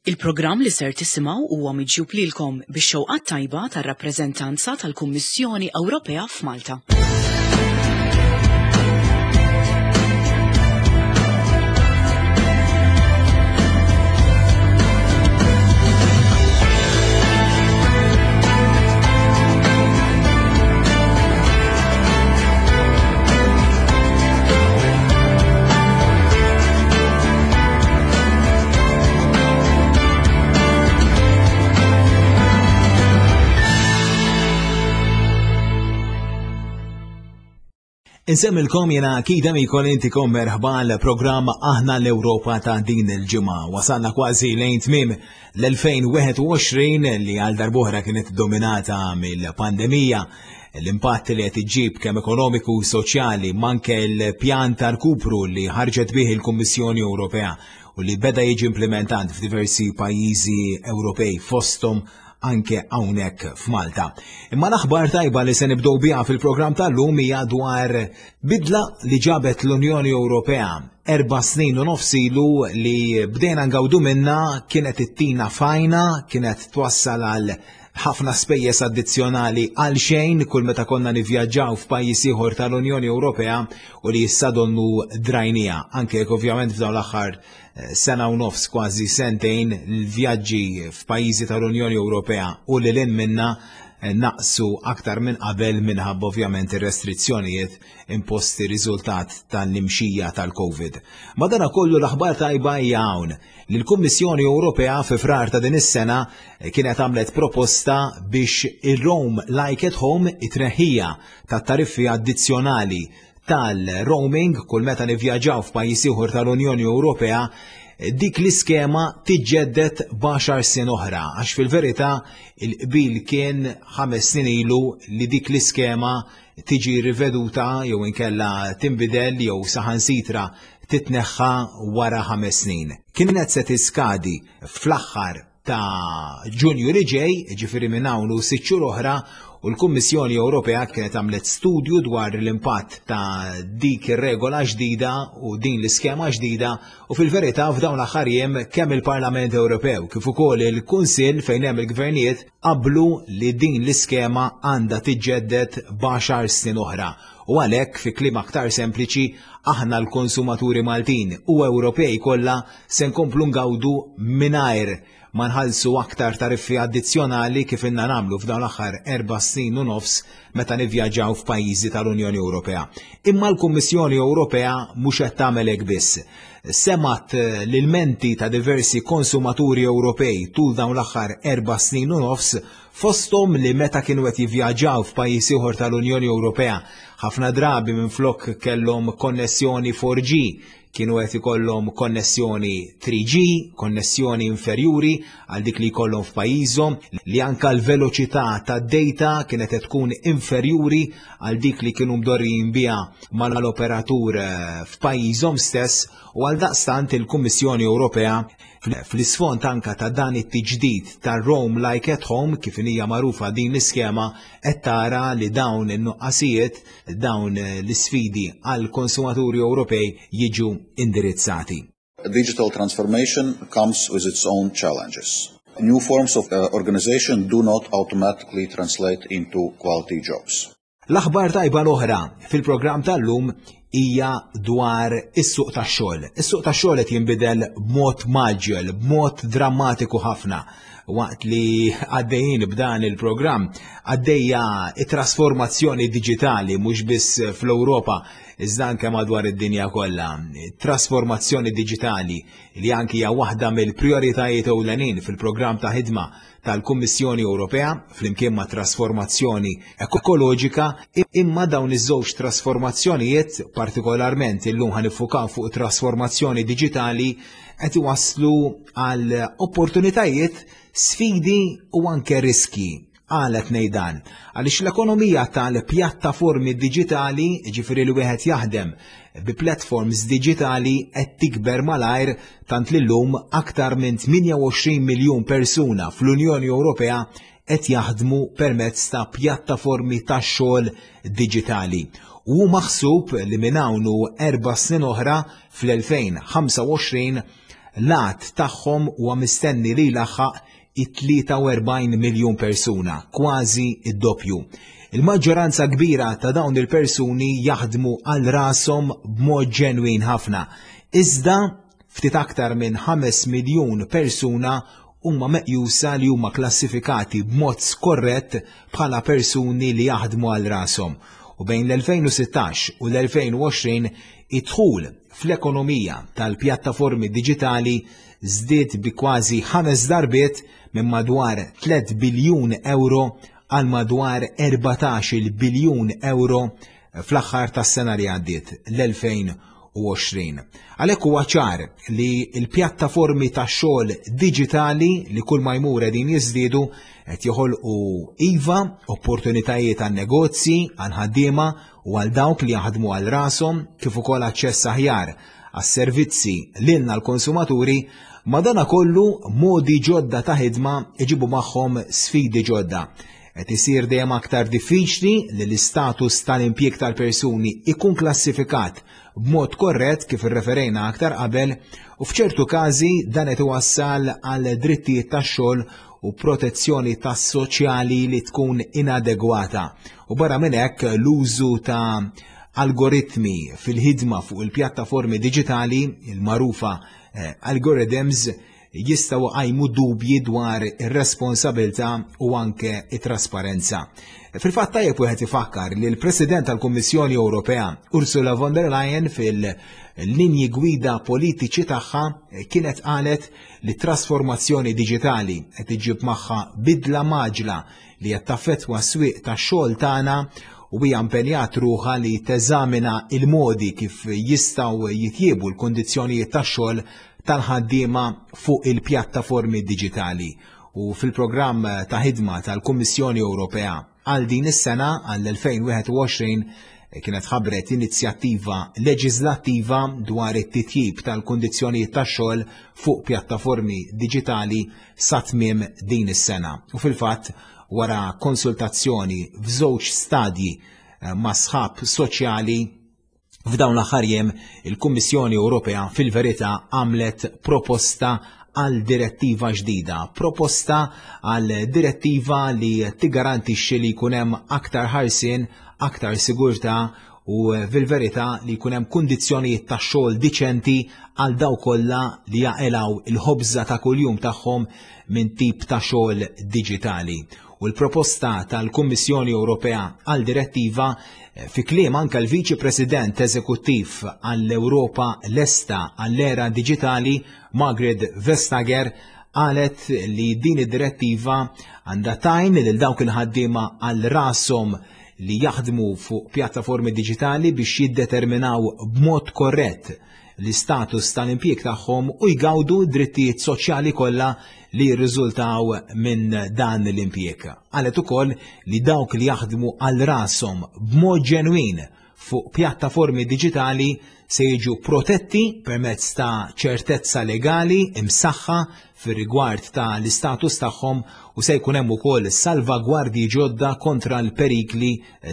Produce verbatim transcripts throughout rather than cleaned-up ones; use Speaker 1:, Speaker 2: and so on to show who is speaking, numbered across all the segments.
Speaker 1: Il-programm li ser tisimgħu huwa miġjub lilkom bix-xewqat tajba tar-rappreżentanza tal-Kummissjoni Ewropea f'Malta.
Speaker 2: Insemmilkom jena Kida Mikol intikom merħba l-programm Aħna l-Ewropa ta' din il-ġimgħa. Wasalna kważi lejn tmiem l-elfejn u wieħed u għoxrin li għal darb'oħra kienet dominata mill-pandemija, l-impatt li qed iġib kemm ekonomiku u soċjali, manke l-pjan ta' rkupru li ħarġet bih il-Kummissjoni Ewropea u li beda jiġi implementat f'diversi pajjiżi Ewropej, fosthom anke hawnhekk f'Malta. Imma l-aħbar tajba li se nibdew biha fil-programm tal-lum hija dwar bidla li ġabet l-Unjoni Ewropea erba' snin u nofs ilu li bdejna ngawdu minna. Kienet ittina fajna, kienet twassal għal ħafna spejjeż addizzjonali għal xejn kull meta konna nivvjaġġaw f'pajjiż ieħor tal-Unjoni Ewropea u li issa donnu drajnija. Anke jekk ovvjament f'dawn l-aħħar eh, sena u nofs, kważi sentejn, l-vjaġġi f'pajjiżi tal-Unjoni Ewropea u lil hinn minna eh, naqsu aktar minn qabel minħabba ovvjament ir-restrizzjonijiet imposti riżultat tal-imxija tal-Covid. Madana kollu l-aħbar tajba hija hawn li l-Kummissjoni Ewropea fi Frar ta' din is-sena kienet għamlet proposta biex il-Roam Like at Home, it-tneħħija ta' tariffi addizzjonali tal-roaming kull meta nivvjaġġaw f'pajjiż ieħor tal-Unjoni Ewropea, dik l-iskema tiġġedded b'għaxar snin oħra, għax fil-verità il-qbil kien ħames snin ilu li dik l-iskema tiġi riveduta jew inkella tinbidel jew saħansitra titneħħa wara ħames snin. Kienet se tiskadi fl-aħħar ta' Ġunju li ġej, ġifieri minn hawn u sitt xhur oħra, u l-Kummissjoni Ewropea kienet għamlet studju dwar l-impatt ta' dik ir-regola ġdida u din l-iskema ġdida, u fil-verità f'dawn l-aħħar jiem kemm il-Parlament Ewropew kif ukoll il-Kunsill fejn hemm il-gvernijiet qablu li din l-iskema għandha tiġġedded b'għaxar snin oħra. U għalhekk, fi kliem aktar sempliċi, aħna l-konsumaturi Maltin u Ewropej kollha se nkomplu ngawdu mingħajr ma nħallsu aktar tariffi addizzjonali kif ilna nagħmlu f'dawn l-aħħar erba' snin u nofs meta nivvjaġġaw f'pajjiżi tal-Unjoni Ewropea. Imma l-Kummissjoni Ewropea mhux qed tagħmel hekk biss. Semgħet l-ilmenti ta' diversi konsumaturi Ewropej tul dawn l-aħħar erba' snin u nofs, fosthom li meta kienu qed jivvjaġġaw f'pajjiż ieħor tal-Unjoni Ewropea, ħafna drabi minflok kellhom konnessjoni four G kienu qed ikollhom konnessjoni three G, konnessjoni inferjuri għal dik li jkollhom f'pajjiżhom, li anka l-veloċità tad-data kienet qed tkun inferjuri għal dik li kienu mdorrijin biha mal-operatur eh, f'pajjiżhom stess. U għal daqstant il-Kummissjoni Ewropea, fl-isfond anka ta' dan it-tiġdid ta' Roam Like at Home kif hija magħrufa din l-iskema, qed tara li dawn in-nuqqasijiet, dawn l-isfidi għal konsumaturi Ewropej jiġu indirizzati.
Speaker 3: Digital transformation comes with its own challenges. New forms of uh, organization do not automatically translate into quality jobs.
Speaker 2: L-aħbar tajba l-oħra fil-programm tal-lum hija dwar is-suq tax-xogħol. Is-suq tax-xogħol qed jinbidel b'mod mgħaġġel, b'mod drammatiku ħafna. Waqt li għaddejjin b'dan il-programm, għaddejja it-trasformazzjoni diġitali mhux biss fl-Ewropa iżda anke madwar id-dinja kollha. Trasformazzjoni diġitali li anki hija waħda mill-prijoritajiet ewlenin fil-programm ta' ħidma tal-Kummissjoni Ewropea flimkien ma' trasformazzjoni ekoloġika, imma dawn iż-żewġ trasformazzjonijiet, partikolarment illum ħa niffukaw fuq trasformazzjoni diġitali, qed iwasslu għal opportunitajiet, sfidi u anke riski. Għala ngħid dan? Għaliex l-ekonomija tal-pjattaformi diġitali, ġifieri li wieħed jaħdem bi platforms diġitali, qed tikber malajr, tant li llum aktar minn tmienja u għoxrin miljun persuna fl-Unjoni Ewropea qed jaħdmu permezz ta' pjattaformi ta' xogħol diġitali. U maħsub li minn hawn u erba' snin oħra, fl-elfejn u ħamsa u għoxrin, L-għadd tagħhom huwa mistenni li laħaq it-tlieta u erbgħin miljun persuna, kważi id-doppju. Il-maġġoranza kbira ta' dawn il-persuni jaħdmu għal rashom b'mod ġenwin ħafna. Iżda ftit aktar minn ħames miljun persuna huma meqjusa li huma klassifikati b'mod skorrett bħala persuni li jaħdmu għal rashom. U bejn l-elfejn u sittax u l-elfejn u għoxrin id-dħul fl-ekonomija tal-pjattaformi diġitali żdied bi kważi ħames darbiet, minn madwar tliet biljun euro għal madwar erbatax-il biljun euro fl-aħħar tas-sena li għaddiet, l-elfejn u għoxrin. Għalhekk huwa ċar li l-pjattaformi ta' xogħol diġitali, li kull ma jmur qegħdin jiżdiedu, qed joħolqu iva opportunitajiet għan negozji, għal ħaddiema u għal dawk li jaħdmu għal rashom, kif ukoll aċċess aħjar għas-servizzi lilna l-konsumaturi. Madanakollu, modi ġodda ta' ħidma iġibu magħhom sfidi ġodda. Qed isir dejjem aktar diffiċli li l-istatus tal-impjieg tal-persuni ikun klassifikat b'mod korrett, kif irreferejna aktar qabel, u f'ċertu każi dan qed iwassal għal drittijiet tax-xogħol u protezzjoni tas-soċjali li tkun inadegwata. U barra minn hekk, l-użu ta' algoritmi fil-ħidma fuq il-pjattaformi diġitali, il-magħrufa eh, algorithms, jistgħu jqajmu dubji dwar ir-responsabilità u anke it-trasparenza. Fil-fatt, tajjeb wieħed ifakkar li l-President tal-Kummissjoni Ewropea Ursula von der Leyen fil-linji gwida politiċi tagħha kienet qalet li trasformazzjoni diġitali qed iġib magħha bidla mgħaġġla li qed taffettwa s-swieq tax-xogħol tagħna, u hija impenjat ruħha li teżamina il-modi kif jistgħu jitjiebu l-kondizzjonijiet tax-xogħol tal-ħaddiema fuq il-pjattaformi diġitali. U fil-programm ta' ħidma tal-Kummissjoni Ewropea għal din is-sena, għall-elfejn u wieħed u għoxrin, kienet ħabbret inizjattiva leġislattiva dwar it-titjib tal-kondizzjonijiet tax-xogħol fuq pjattaformi diġitali sa tmiem din is-sena. U fil-fatt, wara konsultazzjoni f'żewġ stadji eh, ma' sħab soċjali, f'dawn l-aħħar jiem il-Kummissjoni Ewropea fil-verità għamlet proposta għal direttiva ġdida, proposta għal direttiva li tigarantixxi li jkun hemm aktar ħarsien, aktar sigurtà u fil-verità li jkun hemm kundizzjonijiet ta' xogħol diċenti għal dawk kollha li jaqilgħu il-ħobża ta' kuljum tagħhom minn tip ta' xogħol diġitali. U l-proposta tal-Kummissjoni Ewropea għal direttiva, eh, fi kliem anka l-Viċi President Eżekuttiv għall-Ewropa lesta għall-era diġitali, Margaret Vestager, qalet li din id-direttiva għandha tgħin lil dawk il-ħaddiema għal rashom li jaħdmu fuq pjattaformi diġitali biex jiddeterminaw b'mod korrett l-istatus tal-impjieg tagħhom u jgawdu drittijiet soċjali kollha li jirriżultaw minn dan l-impjieg. Qalet ukoll li dawk li jaħdmu għal rashom b'mod ġenwin fuq pjattaformi diġitali se jiġu protetti permezz ta' ċertezza legali imsaħħa fir-rigward ta' l-istatus tagħhom, u se jkun hemm ukoll salvagwardji ġodda kontra l-perikli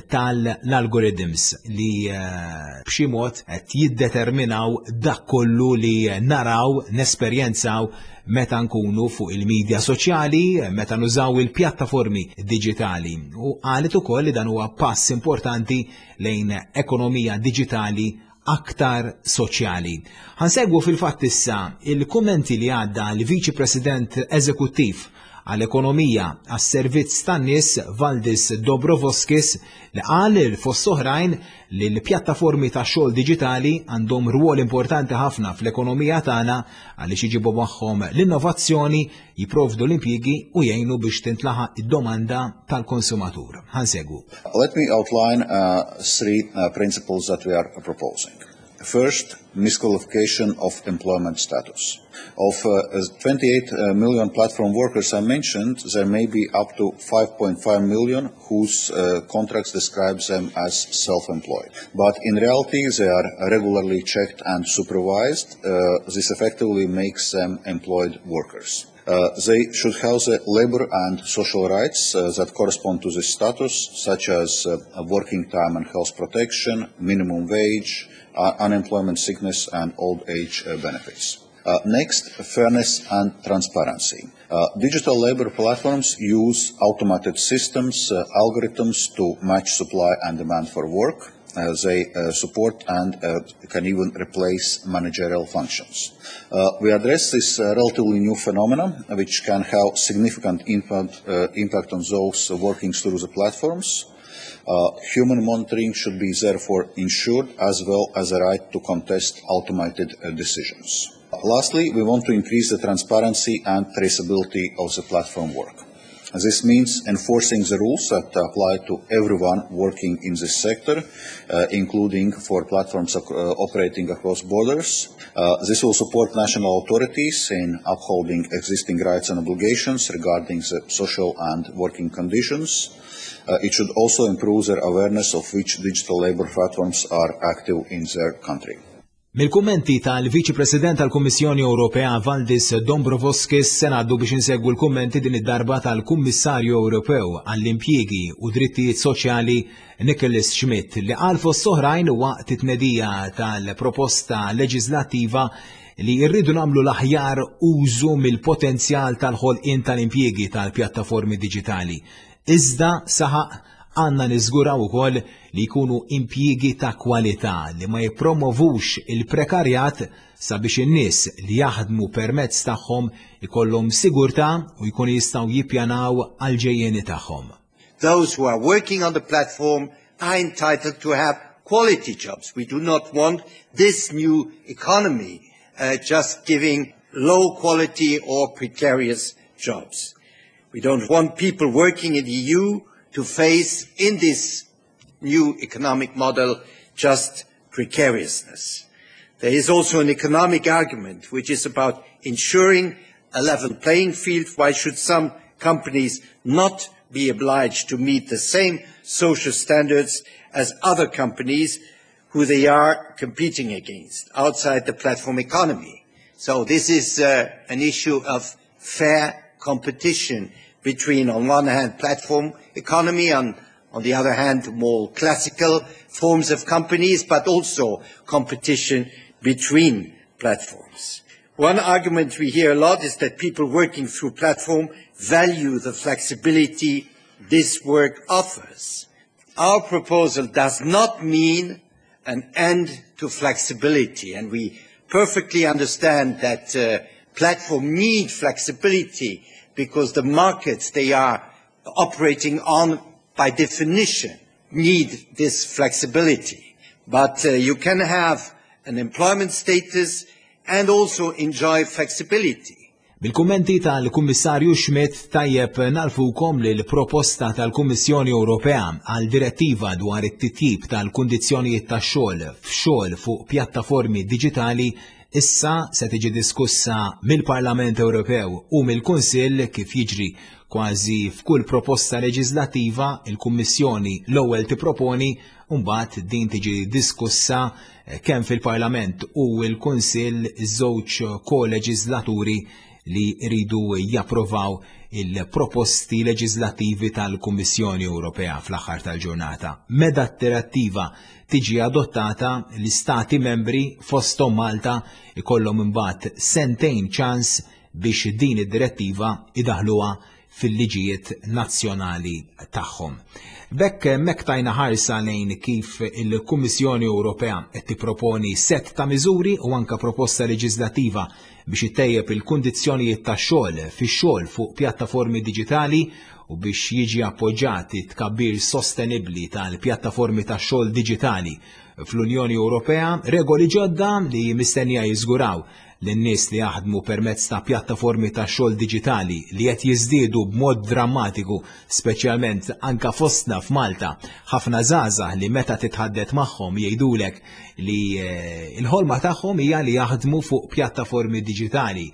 Speaker 2: tal-algorithms li eh, b'xi mod qed jiddeterminaw dak kollu li naraw, nesperjenzaw meta nkunu fuq il-medja soċjali, meta nużaw il-pjattaformi diġitali. U qalet ukoll li dan huwa pass importanti lejn ekonomija diġitali aktar soċjali. Ħa nsegwu fil-fatt issa il-kummenti li għadda l-Viċi President Eżekuttiv għall-Ekonomija għas-Servizz tan-Nies Valdis Dombrovskis, li qal fost oħrajn li l-pjattaformi ta' xogħol diġitali għandhom rwol importanti ħafna fl-ekonomija tagħna għaliex iġibu magħhom l-innovazzjoni, jipprovdu l-impjiegi u jgħinu biex tintlaħaq id-domanda tal-konsumatur. Ħa nsegwu.
Speaker 3: Let me outline uh, three uh, principles that we are proposing. First, misqualification of employment status. Of uh, twenty-eight uh, million platform workers I mentioned, there may be up to five point five million whose uh, contracts describe them as self-employed. But in reality, they are regularly checked and supervised. Uh, this effectively makes them employed workers. Uh, they should have the labor and social rights uh, that correspond to this status, such as uh, working time and health protection, minimum wage, uh, unemployment, sickness, and old age uh, benefits. Uh, next, fairness and transparency. Uh, digital labor platforms use automated systems, uh, algorithms to match supply and demand for work. Uh, they uh, support and uh, can even replace managerial functions. Uh, we address this uh, relatively new phenomenon, which can have significant impact, uh, impact on those working through the platforms. Uh, human monitoring should be therefore ensured, as well as a right to contest automated uh, decisions. Lastly, we want to increase the transparency and traceability of the platform work. This means enforcing the rules that apply to everyone working in this sector, uh, including for platforms uh, operating across borders. Uh, this will support national authorities in upholding existing rights and obligations regarding the social and working conditions. Uh, it should also improve their awareness of which digital labor platforms are active in their country.
Speaker 2: Mill-kummenti tal-Viċi President tal-Kummissjoni Ewropea Valdis Dombrovskis se ngħaddu biex insegwu l-kummenti din id-darba tal-Kummissarju Ewropew għall-impjiegi u drittijiet soċjali Nicholas Schmit, li qal fost oħrajn waqt it-tnedija tal-proposta leġislattiva li rridu nagħmlu l-aħjar użu mill-potenzjal tal-ħolqien tal-impjiegi tal-pjattaformi diġitali. Iżda, saħaq, għandna niżguraw ukoll li jkunu impjiegi ta' kwalità li ma jippromovux il-prekarjat, sabiex in-nies li jaħdmu permezz tagħhom ikollhom sigurtà u jkunu jistgħu jippjanaw għal-ġejjeni tagħhom.
Speaker 4: Those who are working on the platform are entitled to have quality jobs. We do not want this new economy uh, just giving low quality or precarious jobs. We don't want people working in the E U to face in this new economic model just precariousness. There is also an economic argument, which is about ensuring a level playing field. Why should some companies not be obliged to meet the same social standards as other companies who they are competing against outside the platform economy? So this is uh, an issue of fair competition between, on one hand, platform economy and, on the other hand, more classical forms of companies, but also competition between platforms. One argument we hear a lot is that people working through platform value the flexibility this work offers. Our proposal does not mean an end to flexibility, and we perfectly understand that uh, platform need flexibility because the markets they are operating on, by definition, need this flexibility. But uh, you can have an employment status and also enjoy flexibility.
Speaker 2: Bil-kummenti tal-Kummissarju Schmit, tajjeb ngħarrfukom li l-proposta tal-Kummissjoni Ewropea għal direttiva dwar it-titjib tal-kundizzjonijiet tax-xogħol f'xogħol fuq pjattaformi diġitali issa se tiġi diskussa mill-Parlament Ewropew u mill-Kunsill. Kif jiġri kważi f'kull proposta leġislattiva, il-Kummissjoni l-ewwel tipproponi u mbagħad din tiġi diskussa kemm fil-Parlament u l-Kunsill, iż-żewġ koleġislaturi li jridu japprovaw il-proposti leġislattivi tal-Kummissjoni Ewropea fl-aħħar tal-ġurnata. Meta d-direttiva tiġi adottata, l-istati membri, fosthom Malta, ikollhom imbagħad sentejn ċans biex din id-direttiva idaħluha fil-liġijiet nazzjonali tagħhom. B'hekk hemmhekk tajna ħarsa lejn kif il-Kummissjoni Ewropea qed tipproponi set ta' miżuri u anka proposta leġislattiva biex ittejjeb il-kundizzjonijiet tax-xogħol fix-xogħol fuq pjattaformi diġitali u biex jiġi appoġġat tkabbir sostenibbli tal-pjattaformi tax-xogħol diġitali fl-Unjoni Ewropea, regoli ġodda li mistennija jiżguraw lin-nies li jaħdmu permezz ta' pjattaformi ta' xogħol diġitali, li qed jiżdiedu b'mod drammatiku, speċjalment anka fostna f'Malta. Ħafna żgħażagħ li meta titħaddet magħhom jgħidulek li eh, l-ħolma tagħhom hija li jaħdmu fuq pjattaformi diġitali.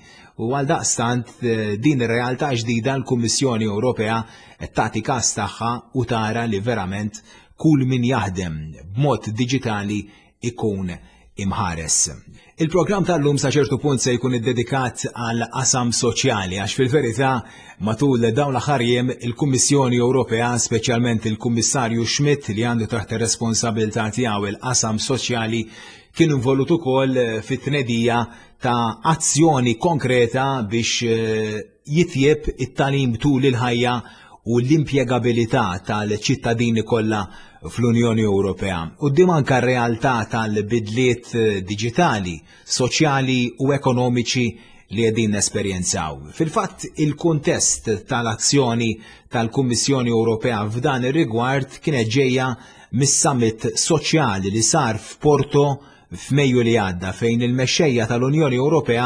Speaker 2: U għal daqstant eh, din ir-realtà ġdida l-Kummissjoni Ewropea qed tagħti każ tagħha u tara li verament kull min jaħdem b'mod diġitali ikun imħares. Il-programm tal-lum sa ċertu punt se jkun iddedikat għal qasam soċjali, għax fil-verità matul dawn l-aħħar jiem il-Kummissjoni Ewropea, speċjalment il-Kummissarju Schmit li għandu taħt ir-responsabilità tiegħu il-qasam soċjali, kien involut ukoll fit-tnedija ta' azzjoni konkreta biex eh, jitjieb it-tagħlim tul il-ħajja u l-impjegabilità tal-ċittadini kollha fl-Unjoni Ewropea. Quddiem anka r-realtà tal-bidliet eh, diġitali, soċjali u ekonomiċi li qegħdin nesperjenzaw. Fil-fatt, il-kuntest tal-azzjoni tal-Kummissjoni Ewropea f'dan ir-rigward kienet ġejja mis-summit soċjali li sar f'Porto f'Mejju li għadda, fejn il-mexxejja tal-Unjoni Ewropea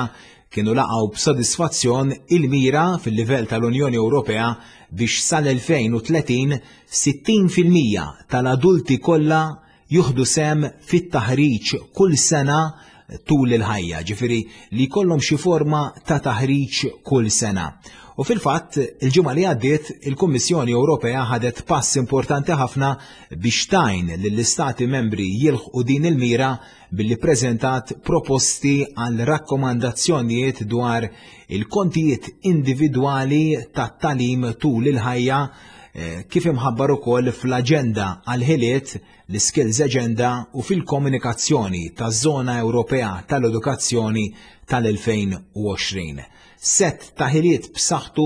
Speaker 2: kienu laqgħu b'sodisfazzjon il-mira fil-livell tal-Unjoni Ewropea biex sal-elfejn u tletin sittin fil-mija tal-adulti kollha jieħdu sehem fit-taħriġ kull sena tul il-ħajja, ġifieri li jkollhom xi forma ta' taħriġ kull sena. U fil-fatt, il-ġimgħa li għaddiet, il-Kummissjoni Ewropea ħadet pass importanti ħafna biex tgħin lill-istati membri jilħqu din il-mira billi preżentat proposti għal rakkomandazzjonijiet dwar il-kontijiet individwali tat-tagħlim tul il-ħajja, eh, kif imħabbar ukoll fl-aġenda għal-ħiliet, l-Skills Agenda, u fil-komunikazzjoni taż-Żona Ewropea tal-Edukazzjoni tal-elfejn u għoxrin. Set ta' ħiliet b'saħħtu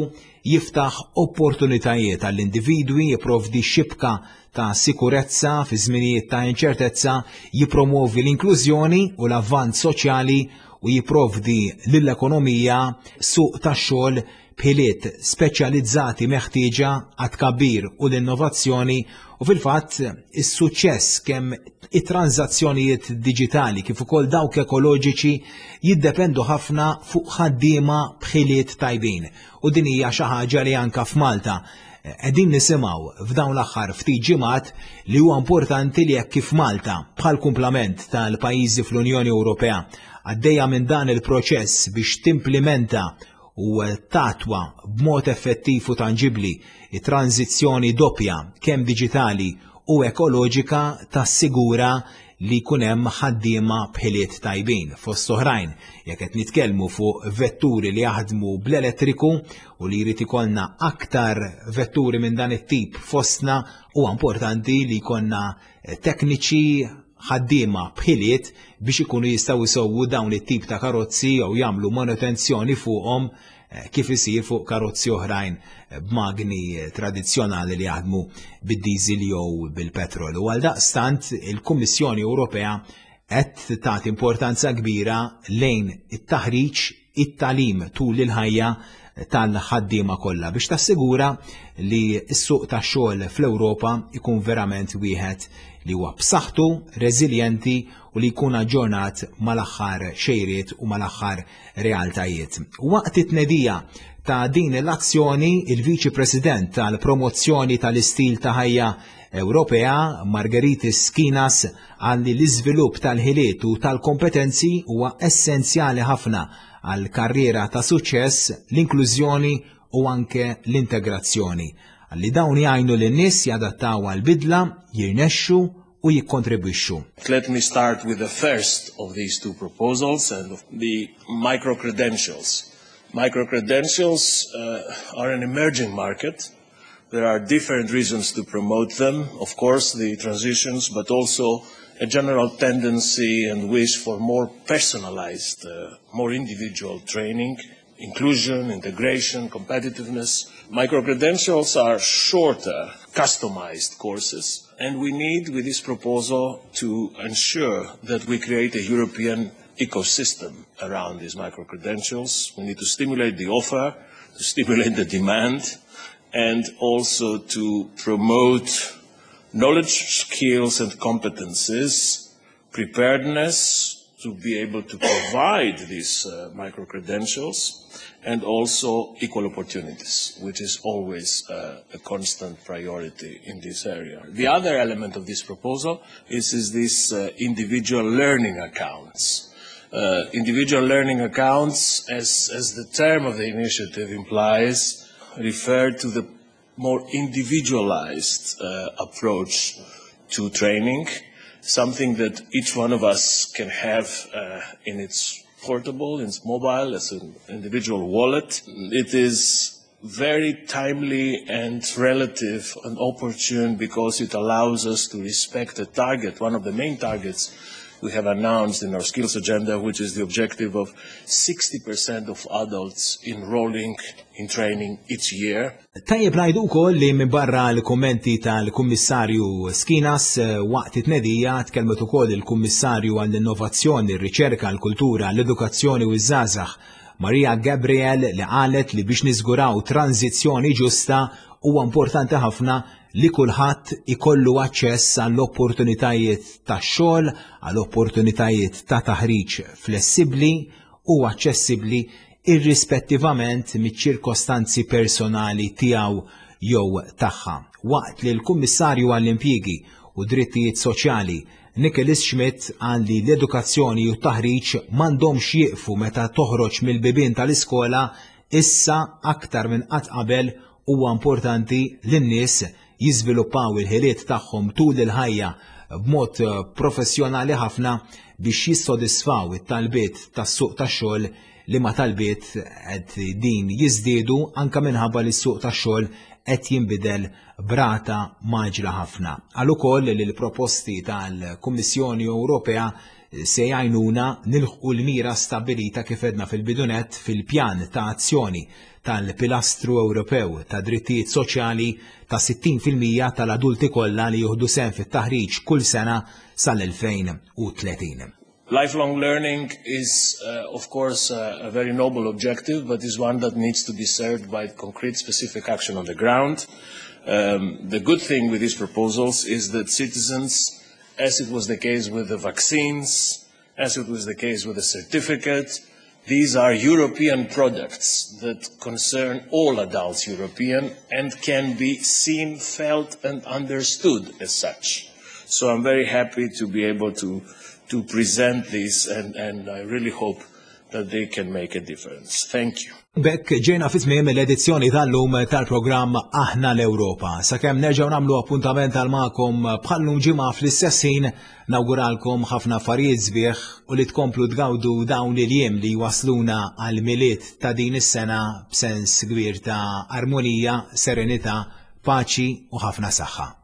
Speaker 2: jiftaħ opportunitajiet għall-individwi, jipprovdi xibka ta' sikurezza fi żminijiet ta' inċertezza, jipromovi l-inklużjoni u l-avvanz soċjali u jipprovdi lill-ekonomija suq tax-xogħol b'ħiliet speċjalizzati meħtieġa għat-tkabbir u l-innovazzjoni. U fil-fatt is-suċċess kemm it-tranżazzjonijiet diġitali kif ukoll dawk ekoloġiċi jiddependu ħafna fuq ħaddiema b'ħiliet tajbin. U din hija xi ħaġa li anka f'Malta qegħdin nisimgħu f'dawn l-aħħar ftit ġimgħat, li huwa importanti li jekk kif Malta, bħal kumplament tal-pajjiżi fl-Unjoni Ewropea, għaddejja minn dan il-proċess biex timplementa u tattwa b'mod effettiv u tanġibli it-tranzizzjoni doppja, kemm diġitali u ekoloġika, tassigura li jkun hemm ħaddiema b'ħiliet tajbin. Fost oħrajn, jekk qed nitkellmu fuq vetturi li jaħdmu bl-elettriku u li jrid ikollna aktar vetturi minn dan it-tip fostna, huwa importanti li jkollna tekniċi, ħaddiema b'ħiliet biex ikunu jistgħu jsewwu dawn it-tip ta' karozzi jew jagħmlu manutenzjoni fuqhom, eh, kif isir fuq karozzi oħrajn eh, b'magni tradizzjonali li jaħdmu bid-diesel jew bil-petrol. U għal daqstant il-Kummissjoni Ewropea qed tagħti importanza kbira lejn it-taħriġ, it-tagħlim tul il-ħajja tal-ħaddiema kollha biex tassigura li s-suq tax-xogħol fl-Ewropa ikun verament wieħed li huwa b'saħħtu, reżiljenti u li jkun aġġornat mal-aħħar xejriet u mal-aħħar realtajiet. Waqt it-tnedija ta' din l-azzjoni, il-Viċi President tal-Promozzjoni tal-Istil ta' Ħajja Ewropea, Margaritis Skinas, qal li l-iżvilupp tal-ħiliet u tal-kompetenzi huwa essenzjali ħafna għal karriera ta' suċċess, l-inklużjoni u anke l-integrazzjoni. Għalli dawn jgħinu lin-nies jadattaw għal-bidla, jirnexxu u jikkontribwixxu.
Speaker 5: Let me start with the first of these two proposals and the micro-credentials. Micro-credentials uh, are an emerging market. There are different reasons to promote them. Of course, the transitions, but also a general tendency and wish for more personalized, uh, more individual training, inclusion, integration, competitiveness. Micro-credentials are shorter, customized courses, and we need, with this proposal, to ensure that we create a European ecosystem around these micro-credentials. We need to stimulate the offer, to stimulate the demand, and also to promote knowledge, skills, and competences, preparedness to be able to provide these uh, micro-credentials, and also equal opportunities, which is always uh, a constant priority in this area. The other element of this proposal is, is this uh, individual learning accounts. Uh, individual learning accounts, as, as the term of the initiative implies, refer to the more individualized uh, approach to training, something that each one of us can have uh, in its portable, in its mobile, as an individual wallet. It is very timely and relative and opportune because it allows us to respect the target, one of the main targets we have announced in our skills agenda, which is the objective of sixty percent of adults enrolling in training each year.
Speaker 2: Tajjeb ngħidu wkoll li minn barra l-kummenti tal-Kummissarju Schinas eh, waqt it-tnedija tkellmet ukoll il-Kummissarju għall-Innovazzjoni, r-Riċerka, l-Kultura, l-Edukazzjoni u ż-Żgħażagħ Maria Gabriel li qalet li biex niżguraw tranzizzjoni ġusta huwa importanti ħafna li kulħadd ikollu aċċess għall-opportunitajiet ta' xogħol, għall-opportunitajiet ta' taħriġ flessibbli u aċċessibbli irrispettivament miċ-ċirkostanzi personali tiegħu jew tagħha. Waqt li l-Kummissarju għall-Impjiegi u Drittijiet Soċjali Nicholas Schmit qal li l-edukazzjoni u t-taħriġ m'għandhomx jieqfu meta toħroġ mill-bibien tal-iskola, issa aktar minn qatt qabel huwa importanti li n-nies jiżviluppaw il-ħiliet tagħhom tul il-ħajja b'mod professjonali ħafna biex jissodisfaw it-talbiet tas-suq tax-xogħol li ma talbiet qed din jiżdiedu anka minħabba li s-suq tax-xogħol qed jinbidel b'rata mgħaġġla ħafna. Qal ukoll li l-proposti tal-Kummissjoni Ewropea se jgħinuna nilħqu l-mira stabbilita kif għedna fil-bidu nett fil-pjan ta' azzjoni tal-Pilastru Ewropew ta' Drittijiet Soċjali ta' sittin fil-mija tal-adulti kollha li jieħdu sehem fit-taħriġ kull sena sal-elfejn u tletin.
Speaker 5: Lifelong learning is, uh, of course, uh, a very noble objective, but is one that needs to be served by concrete, specific action on the ground. Um, the good thing with these proposals is that citizens, as it was the case with the vaccines, as it was the case with the certificate, these are European products that concern all adults European and can be seen, felt and understood as such. So I'm very happy to be able to to present this and, and I really hope that they can make a difference. Thank you.
Speaker 2: B'hekk ġejna fi tmiem l-edizzjoni tal-lum tal-programm Aħna l-Ewropa. Sakemm nerġgħu nagħmlu appuntament għal magħkom bħallum ġimgħa fl-istess ħin, nawguralkom ħafna affarijiet sbieħ u li tkomplu tgawdu dawn il-jiem li wasluna għal Milied ta' din is-sena b'sens kbir ta' armonija, serenità, paċi u ħafna saħħa.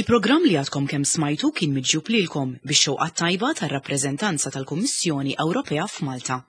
Speaker 1: Il-programm li għadkom kemm smajtu kien miġjub lilkom bix-xewqa tajba tar-rappreżentanza tal-Kummissjoni Ewropea f'Malta.